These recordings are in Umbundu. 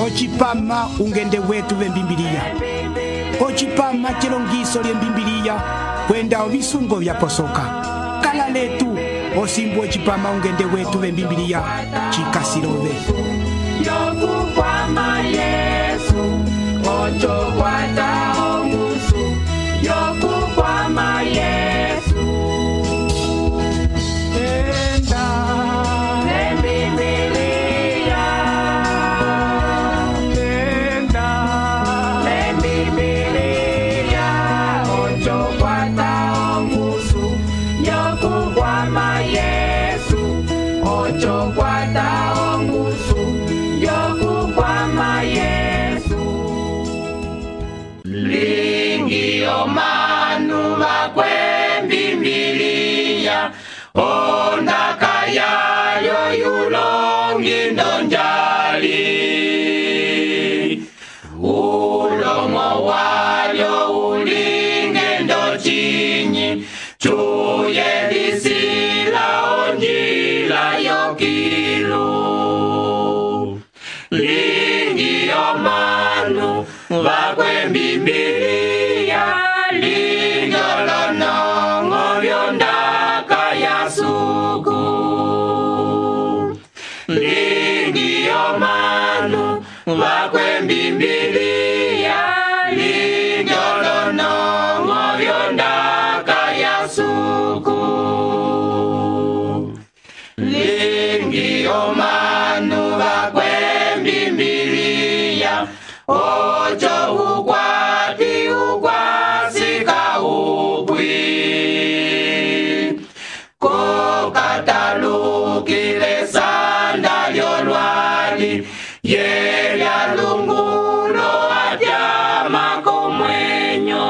Ocipama ungende wetu vembimbiliya. Ocipama chilongiso lyembimbiliya kwenda ovisungo vyaposoka. Kala letu osimbu ocipama ungende wetu vembimbiliya chikasilove. Yokukwama Yesu ochokwata ongusu. Yokukwama Yesu enda lembibiliya. Enda lembibiliya ochokwata ongusu. Yokukwama Yesu ochokwata ongusu. Yokukwama Yesu lingi omanu vakwembimbiliya ondaka yayo yulongi ndonjali. Ulomo walyo ulinge ndochinyi chuye lisila onjila yokilu. Lingi omanu vakwembimbiliya linyolonongo vyondaka yasuku. Lingi omanu vakwembimbiliya linyolonongo vyondaka yasuku. Lingi omanu vakwembimbiliya ocho ukwati ukwasika upwi. Kokatalukile sanda lyolwali yelya lungulo atyama komwenyo.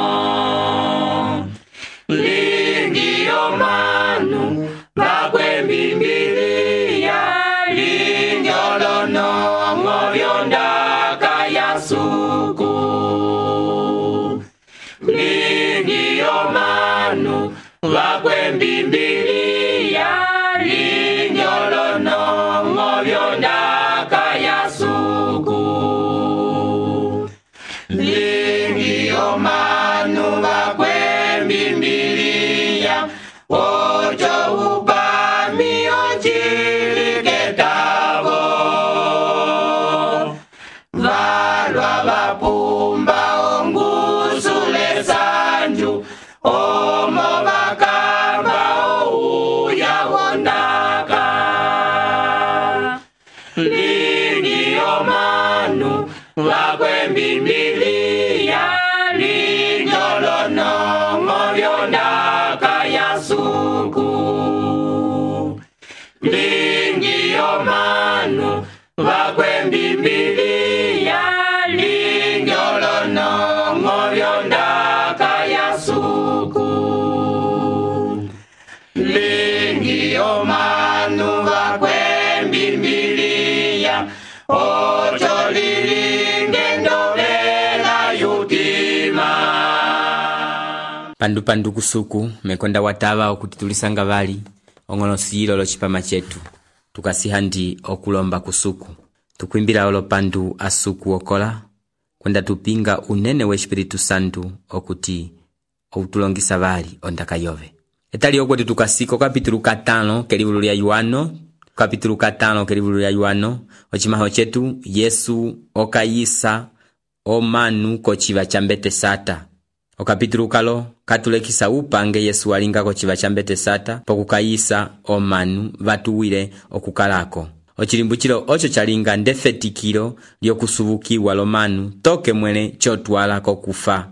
Lingi omanu vakwembimbiliya linyolonongo vyondaka yasuku. Lingi omanu vakwembimbiliya linyolonongo vyondaka yasuku. Lingi omanu vakwembimbiliya ocho upami ochiliketavo. Valwa vapumba ongusule sanju omo vakamba ouya wondaka. Lingi omanu vakwembimbiliya linyolonongo vyondaka yasuku. Lingi omanu vakwembimbiliya linyolonongo vyondaka yasuku. Lingi omanu vakwembimbiliya ocho lilinge ndovela yutima. Pandu kusuku mekonda watava okuti tulisanga vali ong'onosilo locipama chetu tukasiha ndi okulomba kusuku tukwimbila olo pandu asuku okola kwenda tupinga unene we Espiritu Santu okuti outulongisa vali ondaka yove. Etali okweti tukasiko kapitulu 5 kelivulu lya Yohano. Kapitulu 5 kelivulu lya Yohano ochimaho chetu Yesu okayisa omanu kochiva chambete sata. Okapitulu kalo katulekisa upange Yesu alinga kochiva chambete sata pokukayisa omanu vatuwile okukalako. Ochilimbuchilo ocho chalinga ndefetikilo lyokusubukiwa lomanu toke mwene chotwala kokufa.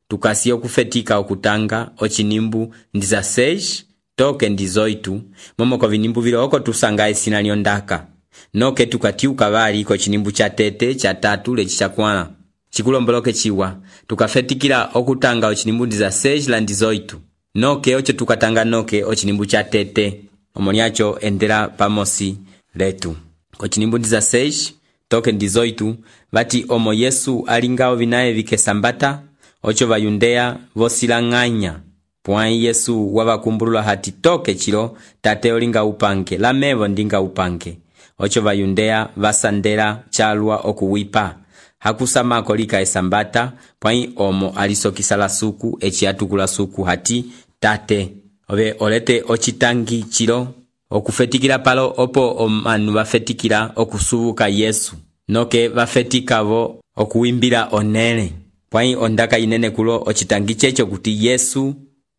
Tukasi okufetika okutanga ochinimbu ndiza 6 toke ndizoitu momoko vinimbu vilo oko tusanga esina lyondaka. Noke tukatiuka vali ko chinimbu cha tete cha 3 lechi chakwala. Chikulomboloke chiwa tukafetikila okutanga ochinimbu ndiza 6 la ndizoitu. Noke ocho tukatanga noke ochinimbu cha tete. Omoniacho endela pamosi letu. Ochinimbu ndiza 6 toke ndizoitu vati omo Yesu alingao vinae vikesambata ocho vayundea vosilanganya. Pwai Yesu wabakumbulula hati toke chilo tate olinga upange lamevo ndinga upange. ocho vayudea vasandela calwa okuwipa hakusamako lika esambata pwai omo alisokisa la suku eci atukula suku hati tate ove olete ocitangi cilo okufetikila palo opo omanu vafetikila okusubuka Yesu noke vafetikavo okuwimbila onele pwai ondaka inene kulo ocitangi checho kuti Yesu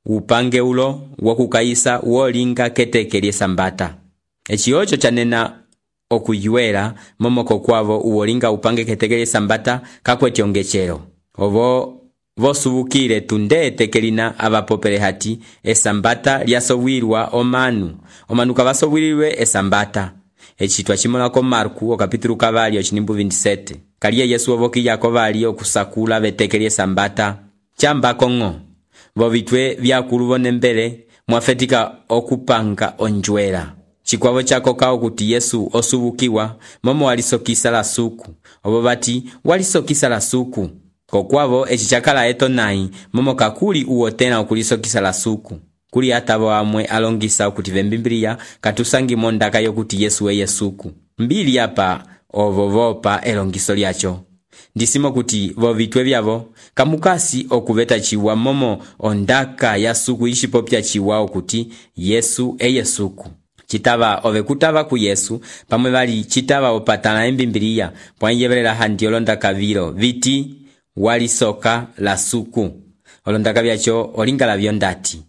upange ulo wokukayisa wolinga keteke lyesambata eci ocho chanena okuyuela momoko kwavo uwolinga upange keteke lyesambata kakweti ongechelo ovo vosubukile tunde etekelina avapopele hati esambata lyasobwilwa omanu kavasobwililwe esambata eci twacimolako Marku okapitulu kavali ocinimbu 27 kaliye Yesu ovokiyako vali okusakula veteke lyesambata chambako ng'o vovitwe vyakulu vonembele mwafetika okupanga onjwela chikwavo chako kao kuti Yesu osubukiwa momo walisokisa la suku ovo vati walisokisa la suku kokwavo eci chakala eto nai momo kakuli uwotena okulisokisa la suku kuli atavo amwe alongisa okuti vembimblia katusangi mondaka yokuti Yesu eye suku mbili apa ovo vopa elongiso lyacho ndisimo kuti vovitwe vyavo kamukasi okuveta chiwa momo ondaka ya suku ishipopya chiwa okuti Yesu eye suku chitava ove kutava ku Yesu pamwe vali chitava opatana embimbilia pwanyevelela handi olondaka vilo viti walisoka la suku olondaka vyacho olingala vyondati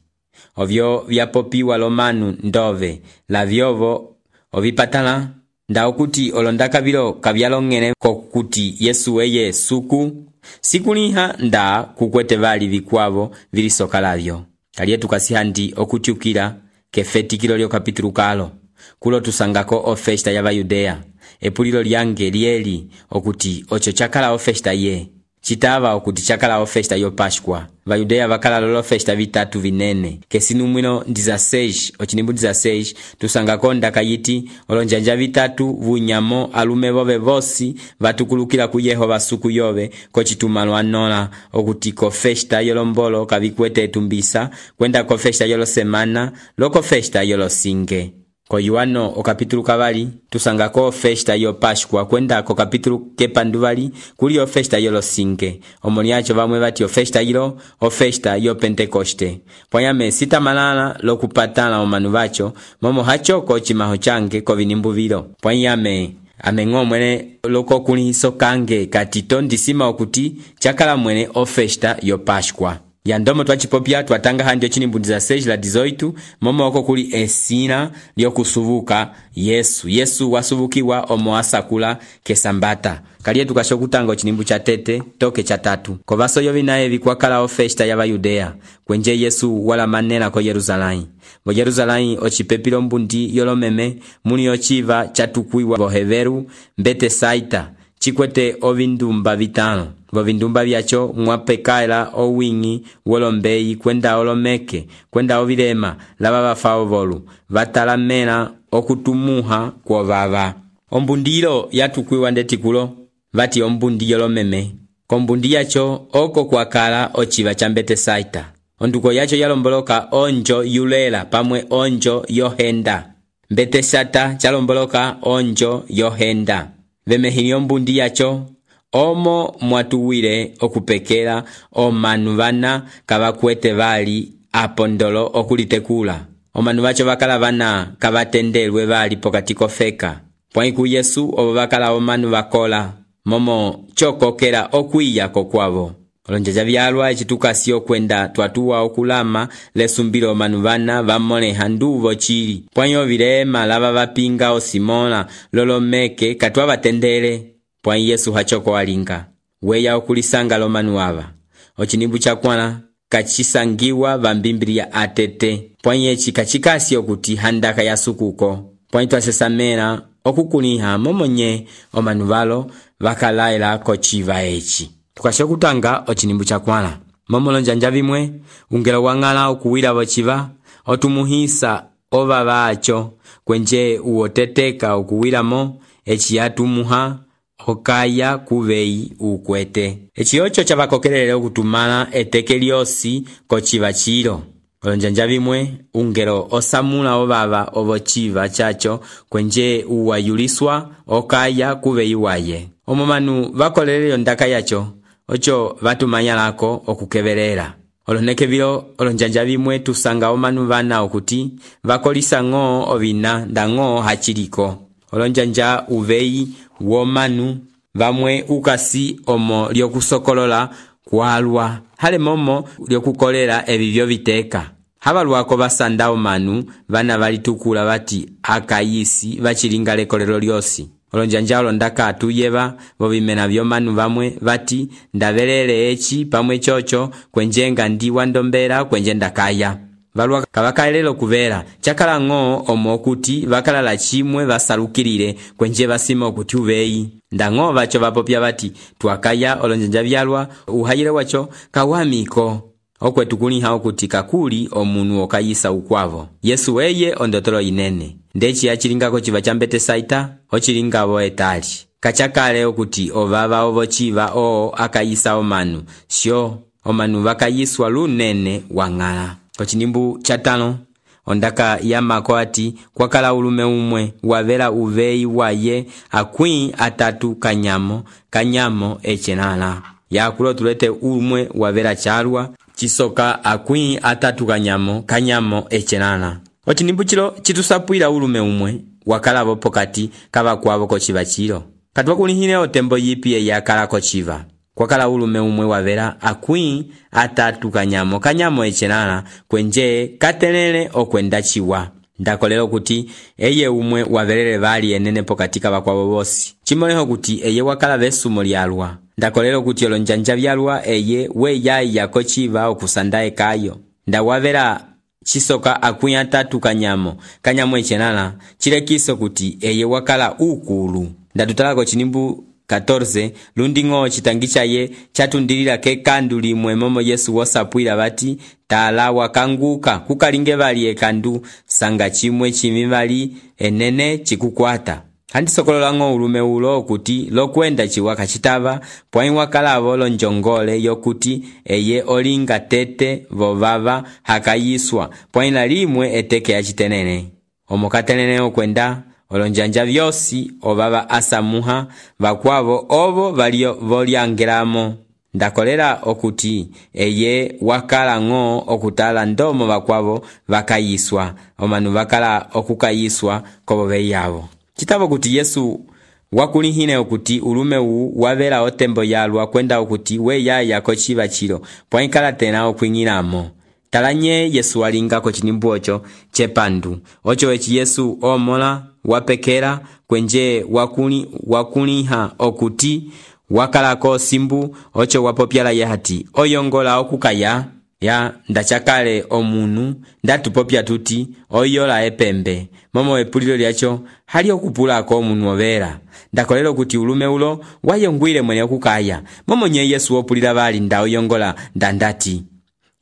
ovyo vyapopiwa lomanu ndove la vyovo ovipatala nda okuti olondaka vilo kavyalongene kokuti Yesu eye suku sikuliha nda kukwete vali vikwavo vilisoka lavyo kaliye tukasihandi okuchukila kefetikilo lyo kapitulu kalo kulo tusangako ofesta ya Vayudea epulilo lyange lieli okuti ocho chakala ofesta ye chitava okuti chakala ofesta yo Pashkwa Vayudea vakala lolo festa vitatu vinene kesinumwino ndiza 6 ochinimbu ndiza 6 tusangako ndaka yiti olonjanja vitatu vunyamo alume vove vosi vatukulukila ku Yehova suku yove kochitumalo anola okuti ko festa yolombolo kavikwete etumbisa kwenda ko festa yolo semana loko festa yolo singe ko Yohano okapitulu kavali tusangako festa yo Pashkwa kwenda ko kapitulu kepanduvali kuli yo festa yolo singe omoniacho vamwe vati yo festa yilo o festa yo Pentekoste pwanyame sita malala lokupatala omanu vacho momo hachoko chimaho change ko vinimbu vilo pwanyame amengo mwene loko kulihiso kange katito ndisima okuti chakala mwene o festa yo Pashkwa yandomo twachipopya twatanga handi ochinimbu ndiza 6 la 18 momo oko kuli esina lyokusubuka Yesu wasubukiwa omo asakula kesambata kaliye tukashokutanga ochinimbu cha tete toke cha 3 ko vaso yovi naye vikwakala ofesta ya Vayudea kwenje Yesu wala manena ko Yerusalai bo Yerusalai ochipepilo mbundi yolomeme muni ochiva chatukwiwa boheveru mbete saita chikwete ovindumba vitano vovindumba vyacho mwapekaela owingi wolombeyi kwenda olomeke kwenda ovilema lava vafao volu vatalamela okutumuha kwovava ombundilo yatukwiwa ndetikulo vati ombundi yolomeme kombundi yacho oko kwakala ochiva cha mbete saita onduko yacho yalomboloka onjo yulela pamwe onjo yohenda mbete sata chalomboloka onjo yohenda vemehili ombundi yacho omo mwatuwile okupekela omanu vana kavakwete vali apondolo okulitekula omanu vacho vakala vana kavatendelwe vali pokati kofeka pwaiku Yesu ovo vakala omanu vakola momo chokokela okwiya kokwavo olonjaja vyalwa echitukasi okwenda twatuwa okulama lesumbilo omanu vana vamoleha nduvo chili pwanyo vilema lava vapinga osimola lolomeke katwa vatendele pwai Yesu hachoko alinga weya okulisanga lomanu ava ochinimbu chakwala kachisangiwa vambimbilia atete pwai echi kachikasi okuti handaka ya sukuko pwai twasesamela okukuliha momonye omanu valo vakalaela kochiva echi tukashokutanga ochinimbu chakwala momolonjanja vimwe ungelo wang'ala okuwila vochiva otumuhisa ovava acho kwenje uwoteteka okuwilamo echi yatumuha okaya kuveyi ukwete echi ocho chavakokelele okutumala eteke lyosi kochiva chilo olonjanja vimwe ungelo osamula ovava ovo civa caco kwenje uwayuliswa okaya kuveyi waye. Omomanu vakoleleyo ndaka yaco oco vatumanyalako okukevelela. Oloneke vilo olonjanja vimwe tusanga omanu vana okuti vakolisa ng'o ovina nda ng'o haciliko. Olonjanja uveyi womanu vamwe ukasi omo lyokusokolola kwalwa hale momo lyokukolela ebivyo viteka. Habalwako basanda omanu vana valitukula bati akayisi bachilinga lekolero lyosi. Olonjanja olondaka atuyeba bobimena byomanu bamwe bati ndabelele echi pamwe chocho kwenjenga ndiwa ndombera kwenje ndakaya. Balwa kabakaelelo kuvera chakala ng'o omo okuti bakalala chimwe basalukirire kwenje basima okuti uveyi. Ndang'o bacho bapopya bati tuakaya olonjanja byalwa uhayire wacho kawamiko. Okwetu kuliha okuti kakuli omunu okayisa ukwavo. Yesu eye ondotolo inene. Ndechi achilingako chiva chambete saita, ochilingabo etali. Kachakale okuti ovava ovo chiva akayisa omanu. Sio, omanu vakayiswa lunene wangala. Kochinimbu chatano, ondaka yamako ati kwakala ulume umwe wavela uveyi waye akwi atatu kanyamo echenala. Yakulo tulete umwe wavela charwa chisoka akwi atatu kanyamo echenana. Ochinimbu chilo chitusapwila ulume umwe wakalabo pokati kava kwavo kochiva chilo. Katwa kulihine otembo yipi yakala kochiva. Kwakala ulume umwe wavela akwi atatu kanyamo echenana kwenje katelele okwenda chiwa. Ndakolelo kuti eye umwe wavelele vali enene pokati kava kwavo bosi. Chimoleho kuti eye wakala vesumo lyalwa. Ndakolelo kuti olonjanja byalwa eye we yayi yako chiva okusandae kayo. Ndawavela chisoka akwi atatu kanyamo echenana chilekiso kuti eye wakala ukulu. Ndatutalako chinimbu 14 lundi ng'o chitangicha ye chatundilila kekandu limwe momo Yesu wosapwila bati tala wakanguka kukalinge bali ekandu sanga chimwe chimivali enene chikukwata. Handi sokolola ng'o ulume ulo kuti lokwenda chiwaka chitava pwai wakalavo lonjongole yokuti eye olinga tete vovava hakayiswa pwai la limwe eteke ya chitenene. Omokatenene okwenda olonjanja vyosi ovava asamuha vakwavo ovo valio volyangelamo. Ndakolera okuti eye wakala ng'o okutala ndomo vakwavo vakayiswa omanu vakala okukayiswa kobobe yavo. Chitavo kuti Yesu wakulihine okuti ulume wavela otembo yalwa kwenda okuti we yaya kochiva chilo pwaikala tena okwingilamo. Talanye Yesu walingako chinimbu ocho chepandu. Ocho echi Yesu omola wapekera kwenje wakuliha okuti wakalako simbu ocho wapopyala yehati oyongola okukaya ya ndachakale omunu ndatupopya tuti oyola epembe momo epulilo lyacho hali okupulako omunu overa. Ndakolelo kuti ulume ulo wayongwile mwene okukaya momo nye Yesu opulila bali nda oyongola ndandati.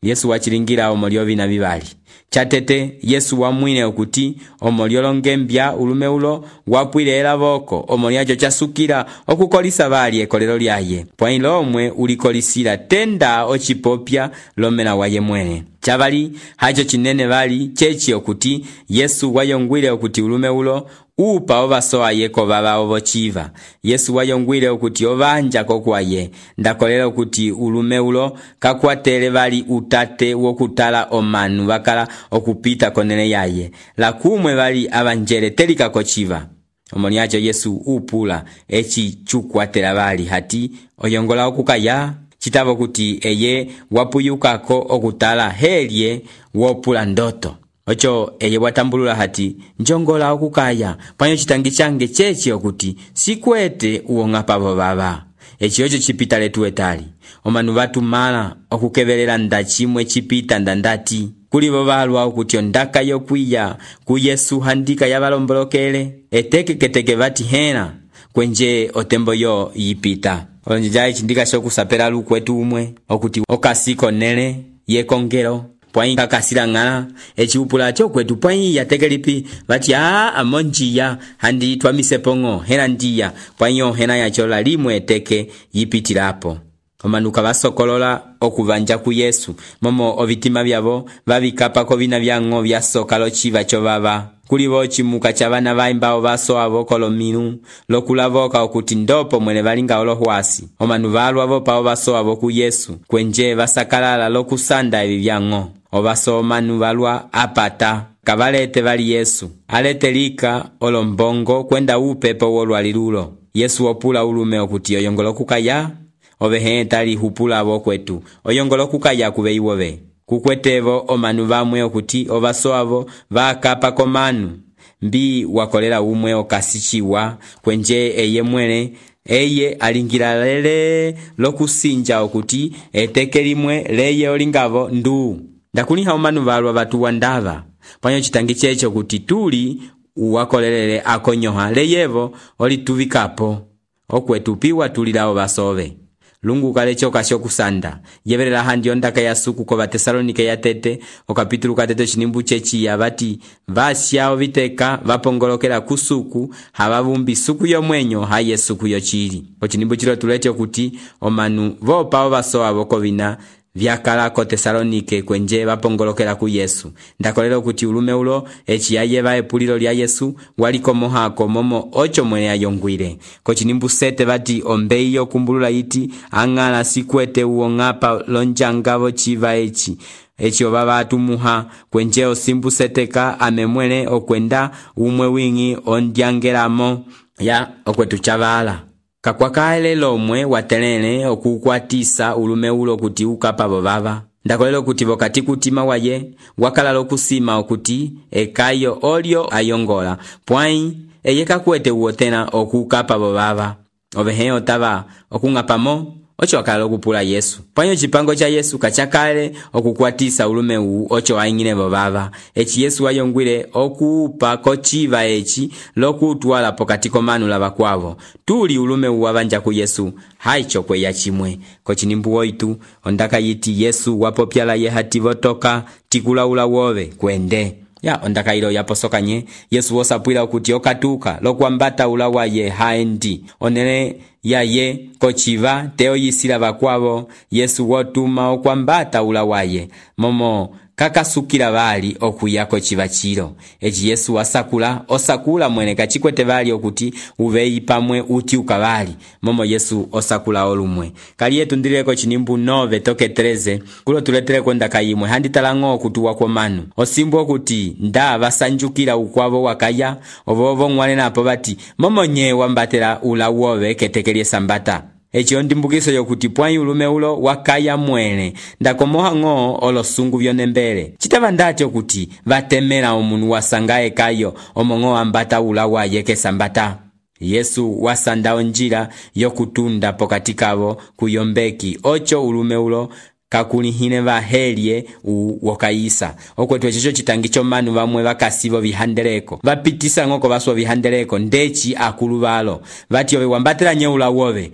Yesu wachilingira omolio vina bibali. Chatete Yesu wamwine okuti omolio longembya ulume ulo wapwile elavoko omoliacho chasukila okukolisa bali ekolelo lyaye. Pwailo omwe ulikolisila tenda ochipopya lomena waye mwene. Chabali hacho chinene bali chechi okuti Yesu wayongwile okuti ulume ulo upa ovasoa yeko baba ovo chiva. Yesu wayongwile okuti ovanja kokwaye. Ndakolelo okuti ulume ulo kakwatele bali utate wokutala omanu bakala okupita konene yaye. Lakumwe bali abanjele telika kochiva. Omoniacho Yesu upula echi chukwatela bali hati oyongola okukaya. Chitavo kuti eye wapuyukako okutala helye wopula ndoto. Ocho eye watambulula hati njongola okukaya panyo chitangi change chechi okuti sikwete uonga pavo baba. Echi ocho chipita letu etali. Omanu batu mala okukebelela ndachimwe chipita ndandati. Kulibo balwa okuti ondaka yokwiya ku Yesu handika yabalombolokele. Eteke bati hena kwenje otembo yo yipita. Olonjanja chindika shokusapela lukwetu umwe okuti okasiko nele yekongero. Pwai kakasila ngala echiupula chokwetu pwai yatekelipi bati amonjia handi twamisepongo hena ndia pwai hena yachola limwe eteke yipitilapo. omanu kavasokolola okuvanja ku Yesu, momo ovitima vyavo vavikapako vina vyango vyasoka lociva covava. Kuli vo cimuka ca vana vaimba vasoa vo kolominu lokulavoka okuti ndopo mwene valinga olohwasi. Omanu valwa vo pao vasoa vo ku Yesu, kwenje vasakalala lokusanda evi vyango. Ovaso omanu valwa apata kavalete vali Yesu, alete lika olombongo kwenda upepo wolwali lulo. Yesu opula ulume okuti oyongolo kukaya, ovehe tali hupula vo kwetu, oyongolo kukaya kube iwove. Kukwetevo omanu vamwe okuti ovasoavo vakapa komanu, mbi wakolela umwe okasichiwa, kwenje eye mwene eye alingila lele lokusinja okuti eteke limwe leye olingavo ndu. Ndakuliha omanu valwa vatuwa ndava, panyo chitangi checho kuti tuli uwakolelele akonyoha leyevo olituvikapo, okwetupiwa tulilao vasove. Lungu kale choka shokusanda yeverela handi ondaka ya suku ko Batesalonike ya tete okapitulu katete chinimbu chechi ya vati vasya oviteka vapongolokela kusuku havavumbi suku yomwenyo haye suku yochili. Ochinimbu chilo tulete kuti omanu vopa ovasoa vokovina vyakala ko Tesalonike kwenje vapongolokela ku Yesu. Ndakolelo kuti ulume ulo echiyayeva epulilo lya Yesu waliko mohako momo ocho mwene ayongwile. Kochinimbu sete vati ombei yokumbulula iti angala sikwete uongapa lonjangavo chiva echi ovava atumuha kwenje osimbu seteka amemwele okwenda umwe wingi ondyangelamo ya okwetu chavala. Kakwakaele lomwe watelele okukwatisa ulume ulo kuti ukapa bovava. Ndakolelo kuti vokati kutima waye wakala lokusima okuti ekayo olio ayongola pwai eyeka kuete uotena okukapa bovava. Ovehe otava okungapamo ocho wakala lokupula Yesu. Panyo chipango cha Yesu kachakale okukwatisa ulume ocho aingine bovava. Echi Yesu ayongwile okuupa kochiva echi lokutwala pokati komanu lava kwavo. Tuli ulume wavanja ku Yesu haicho kwe ya chimwe. Kochinimbu oitu ondaka yiti Yesu wapopyala ye hati votoka tikula ula wove kwende. Ya ondaka ilo yaposoka nye Yesu wosapwila okuti okatuka lokuambata ulawa ye haendi onele ya ye kochiva teo yisila vakwavo. Yesu wotuma okuambata ulawa ye momo kakasukila vali okuya kochiva chilo. Echi Yesu osakula mwene kachikwete vali okuti uvei pamwe uti ukavali momo Yesu osakula olumwe. Kali yetu ndileko chinimbu 9 toke 13 kulo tuletere kondaka yimwe handi talango okutuwa kwa manu osimbu okuti nda vasanjukila ukwavo wakaya ovovo mwale napo bati momo nye wambatela ula uove ketekelie sambata. Echi ondimbukiso yokuti pwai ulume ulo wakaya mwene ndakomoha ngo olosungu vyonembele. Chitava ndati okuti vatemela omunu wasangae kayo omongo ambata ula wa yeke sambata. Yesu wasanda onjila yokutunda pokati kavo kuyombeki ocho ulume ulo kakulihine vahelye wokayisa. Okwetu echicho chitangicho manu vamwe vakasivo vihandeleko vapitisa ngoko vaswa vihandeleko ndechi akulu valo vati ove wambatela nyeula wove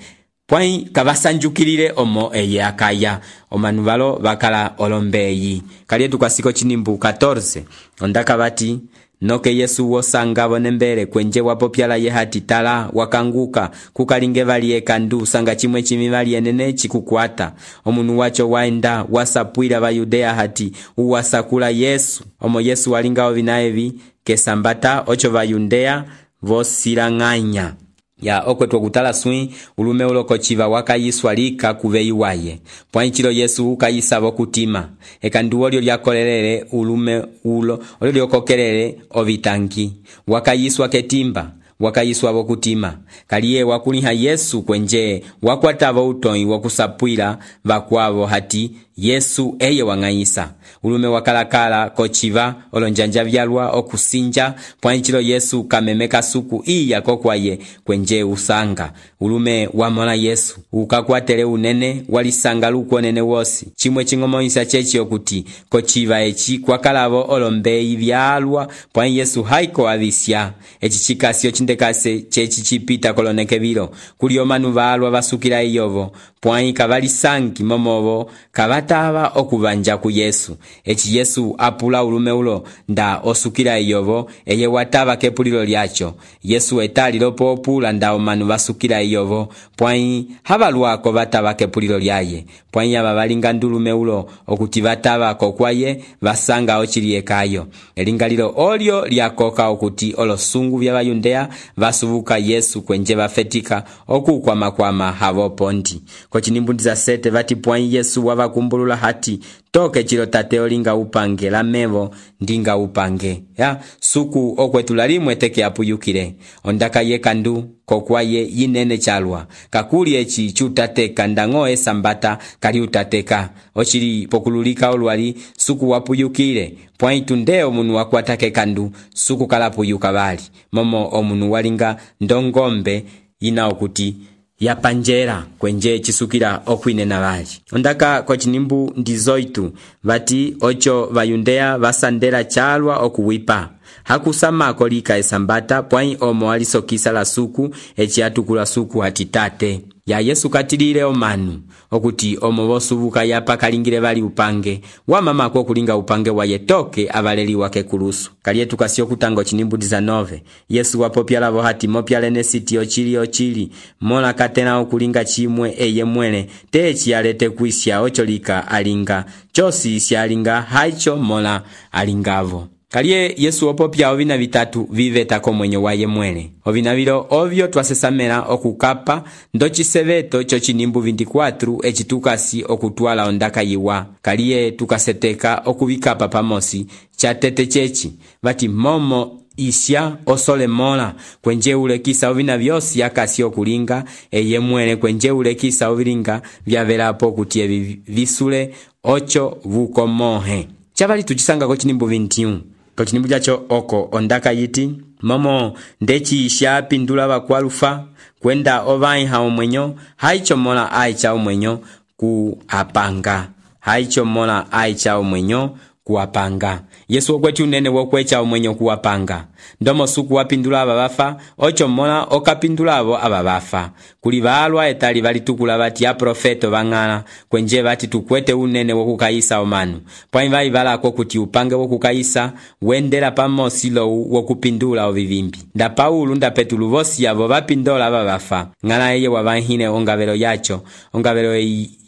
pwai kavasanjukilile omo eye akaya omanu valo vakala olombeyi. Kalietu kasiko chinimbu 14 ondaka vati noke Yesu wosanga vonembele kwenje wapopyala ye hati tala wakanguka kukalinge vali ekandu sanga chimwe chimivali enene chikukwata. Omunu wacho waenda wasapwila va Yudea hati uwasakula Yesu omo Yesu walinga ovinaevi kesambata ocho va Yudea vosilanganya. Ya okwetu okutala sui ulume ulo kochiva wakayiswa lika kuvei waye. Pwanchilo Yesu ukayisa vokutima. Ekandu olio lyakolelele ulume ulo olio lyokokelele ovitangi. Wakayiswa ketimba. Wakayiswa vokutima. Kaliye wakuliha Yesu kwenje wakwatavo utoi wakusapwila vakwavo hati Yesu eye wangayisa. Ulume wakalakala kochiva olonjanja vyalwa okusinja pwanchilo Yesu kamemeka suku iya kokwaye kwenje usanga. Ulume wamona Yesu ukakwatele unene walisanga luko nene wosi. Chimwe chingomoisa chechi okuti kochiva echi kwakalavo olombeyi vyalwa pwan Yesu haiko avisya. Echi chikasio chindekase chechi chipita koloneke vilo kulio manu valwa vasukila iyovo pwan kavalisangi momovo kavatava okuvanja ku Yesu. eci Yesu apula ulume ulo nda osukila iyovo eye watava kepulilo lyacho. Yesu etali lopo opula nda omanu basukila iyovo pwai habaluako batava kepulilo lyaye. Pwai aba balinga ndulume ulo okuti batava kokwaye basanga ochiliye kayo. Elingalilo olyo lyakoka okuti olosungu bya bayundea basubuka Yesu kwenje bafetika okukwama habo pondi. Kochinimbundi za sete bati pwai Yesu wabakumbulula hati toke chilo tate olinga upange la mevo ndinga upange. Ya suku okwetulali mweteke apuyukile. Ondaka ye kandu kokwaye yinene chalwa. Kakuli echi chutateka ndango esambata kali utateka. Ochili pokululika olwali suku wapuyukile. Pwaitu ndeo munu wakwatake kandu suku kalapuyuka bali. Momo omunu walinga ndongombe ina okuti ya panjera kwenje chisukila okwinena bali. Ondaka kwa chinimbu ndizoitu bati ocho bayundea basandela chalwa okuwipa. Hakusama kolika esambata pwai omo alisokisa la suku echi atukula suku hatitate. Ya Yesu katilile omanu okuti omo bosubuka yapa kalingile bali upange wa mama kwa kulinga upange wa yetoke abaleli wake kulusu. Kalietu kasio kutango chinimbundi za 9 Yesu wapopya labo hati mopya lene siti ochili mola katena okulinga chimwe eye mwele techi alete kuisya ocholika alinga chosi isya alinga haicho mola alingavo. Kalie Yesu opopya ovina vitatu viveta komwenyo waye mwele. Ovina vilo ovyo twasesamela okukapa ndochiseveto chochinimbu 24 echitukasi okutwala ondaka yiwa. Kalie tukaseteka okuvikapa pamosi chatete chechi bati momo isya osole mola kwenje ulekisa ovina vyosi yakasi okulinga eye mwele kwenje ulekisa ovilinga vyavelapo kutie visule ocho vukomohe. Chabali tuchisanga kochinimbu 21 kochinimbu jacho oko ondaka yiti momo ndechi isya pindula bakwalufa kwenda ovai hao mwenyo haicho mola aicha omwenyo kuapanga. Haicho mola aicha omwenyo kuapanga. Yesu okweti unene wokwecha omwenyo kuapanga. Ndomo suku wapindula ababafa ocho mola okapindula abo ababafa. Kuli balwa etali balitukula bati ya profeto bangala kwenje bati tukwete unene wokukaisa omanu. Pwai bali balako kuti upange wokukaisa wendela pamosi lo wokupindula ovivimbi. Nda Paulo nda Petulu vosi yabo bapindola ababafa. Ngala eye wabahine ongabelo yacho. Ongabelo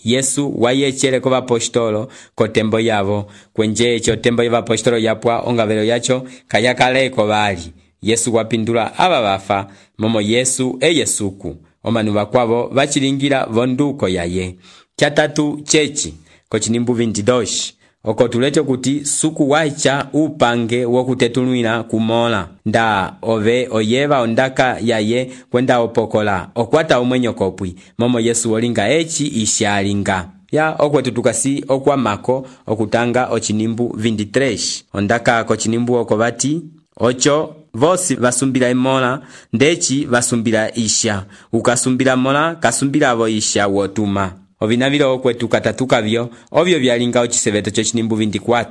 Yesu wayechere ko bapostolo ko tembo yabo kwenje echo tembo y'abapostolo yapwa ongabelo yacho kayakaleko bali. Yesu wapindula ababafa momo Yesu Yesuku omanu bakwabo bachilingira vonduko yaye. Chatatu chechi kochinimbu 22 oko tulete kuti suku waicha upange wokutetulwina kumola nda ove oyeva ondaka yaye kwenda opokola okwata omwenyo kopwi momo Yesu olinga echi ishalinga. Ya okwetu tukasi okwa mako okutanga ochinimbu 23 ondaka kochinimbu oko bati ocho vosi basumbila imola ndechi basumbila isha ukasumbila mola kasumbila abo isha wotuma. Ovinavilo okwetu katatuka vyo ovyo vyalinga ochiseveto chochinimbu 24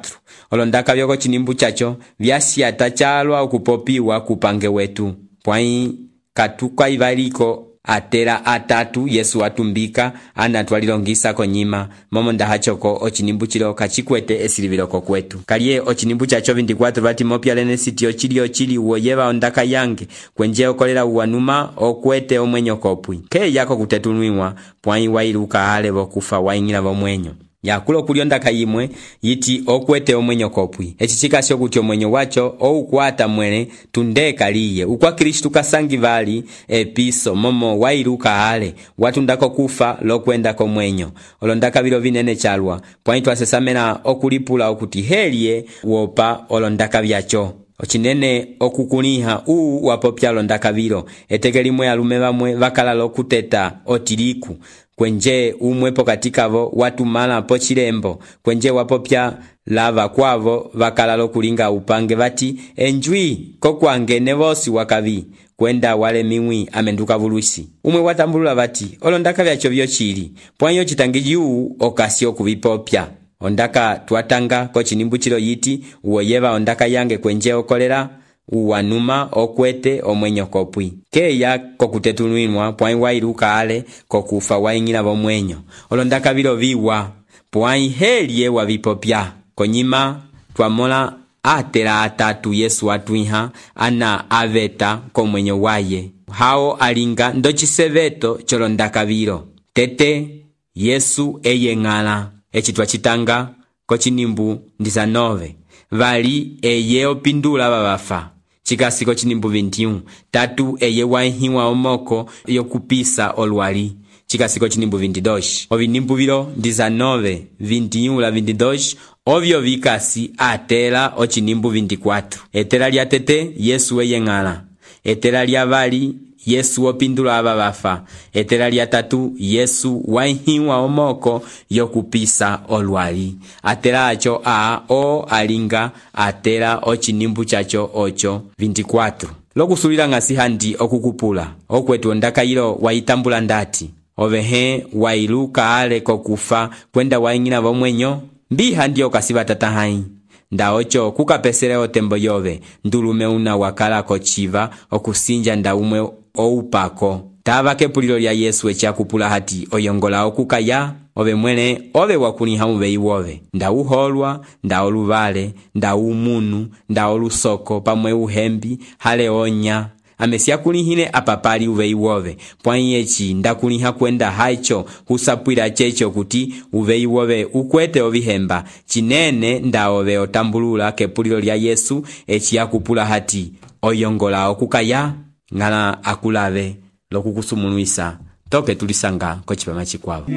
olondaka vyoko chinimbu chacho vyasiata chalwa okupopiwa kupange wetu. Pwai katuka ivaliko atera atatu Yesu atumbika anatwalilongisa konyima momo ndahachoko ochinimbu chilo kachikwete esiliviloko kwetu. Kalie ochinimbu chacho 24 bati mopya lene siti ochili uoyeva ondaka yange kwenje okolela uwanuma okwete omwenyo kopwi ke yako kutetulwiwa pwai wailuka hale bokufa waingila bomwenyo. Yakulo kuliondaka yimwe yiti okwete omwenyo kopwi echichika sio kuti omwenyo wacho oukwata mwene tundeka liye ukwa Kristu kasangi vali episo momo wailuka hale watundako kufa lokwenda komwenyo olondaka vilo vinene chalwa pwaitu asesamena okulipula okuti helie wopa olondaka vyacho. Ochinene okukuniha wapopya londaka vilo etekelimwe alume bamwe bakala lokuteta otiliku kwenje umwepo katikavo watumala pochilembo kwenje wapopya lava kwavo bakala lokulinga upange bati enjwi kokwange nevosi wakavi kwenda wale miwi amenduka vulusi. Umwe watambulula bati olondaka vyacho vyochili pwanyo chitangiji okasio kubipopya. Ondaka tuatanga kochinimbu chilo yiti uoyeva ondaka yange kwenje okolera uwanuma okwete omwenyo kopwi keya kokutetulwinwa pwai wailuka ale kokufa waingila bomwenyo olondaka vilo viwa pwai helie wavipopya. konyima twamola atela atatu Yesu atwiha ana aveta komwenyo waye hao alinga ndociseveto colondakavilo tete Yesu eye ng'ala eci twacitanga kocinimbu 19 vali eye opindula vavafa cikasi kocinimbu 21 tatu eye waihiwa omoko yokupisa olwali cikasi kocinimbu 22 ovinimbu vilo 19 21 la 22 ovyo vikasi atela ocinimbu 24 etela lya tete Yesu eye ng'ala etela lya vali Yesu opindula aba bafa etela lya tatu Yesu waihiwa omoko yokupisa olwali atela acho o alinga atela ocinimbu chacho ocho 24 lokusulila ngasi handi okukupula okwetu ondakayilo waitambula ndati ovehe wailuka ale kokufa kwenda waingina vomwenyo mbiha ndiyo kasiva tata hai nda ocho kukapesele otembo yove ndulume una wakala kochiva okusinja nda umwe oupako tava kepulilo lya Yesu echakupula hati oyongola okukaya ove mwene ove wakuliha muvei wove nda uholwa nda oluvale nda umunu nda olusoko pamwe uhembi hale onya amesia kulihine apapali uvei wove pwani echi ndakuliha kwenda haicho husapwila checho kuti uvei wove ukwete ovihemba chinene nda ove otambulula kepulilo lya Yesu echi akupula hati oyongola okukaya ngala akulave lokukusumuluisa toke tulisanga kochipama chikwavo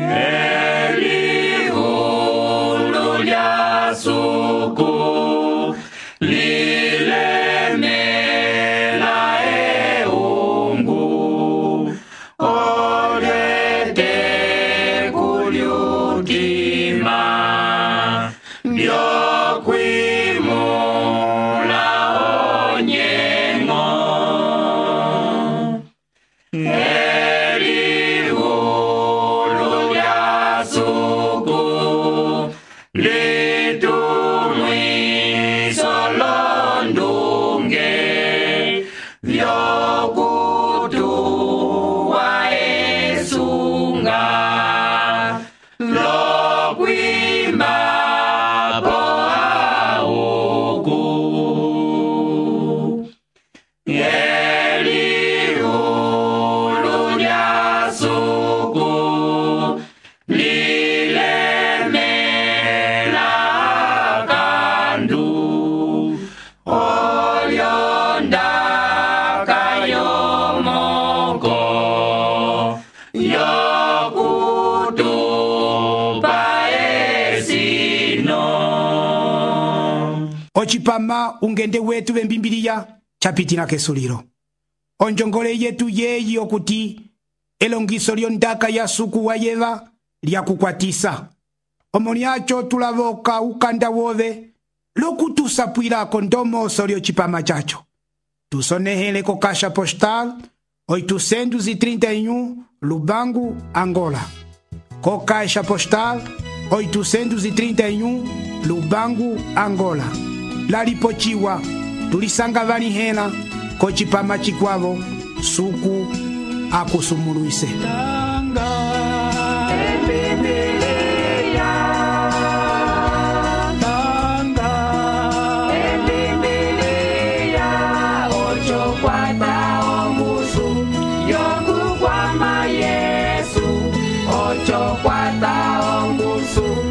Elihulu lya suku lilemela eungu olete kulyutima byokwimula onyengo Elihulu lya suku litumwiso londunge vyokutuwa esunga lokwimba po auku Elihulu lya suku lilemela kandu olyondaka yomoko yokutupa esino ocipama ungende wetu vembimbiliya chapitila kesulilo onjongole yetu yeyi okuti elongiso lyondaka ya suku wa yeva lyakukwatisa omoni acho tulavoka ukanda wove lokutusapwilako ndomoso lyocipama chacho tusonehele ko kasha postal 831 Lubangu, Angola ko kasha postal 831 Lubangu, Angola lalipochiwa tulisanga vanihela kochipama chikwavo suku akusumuluise Yesu, ocho kwata ongusu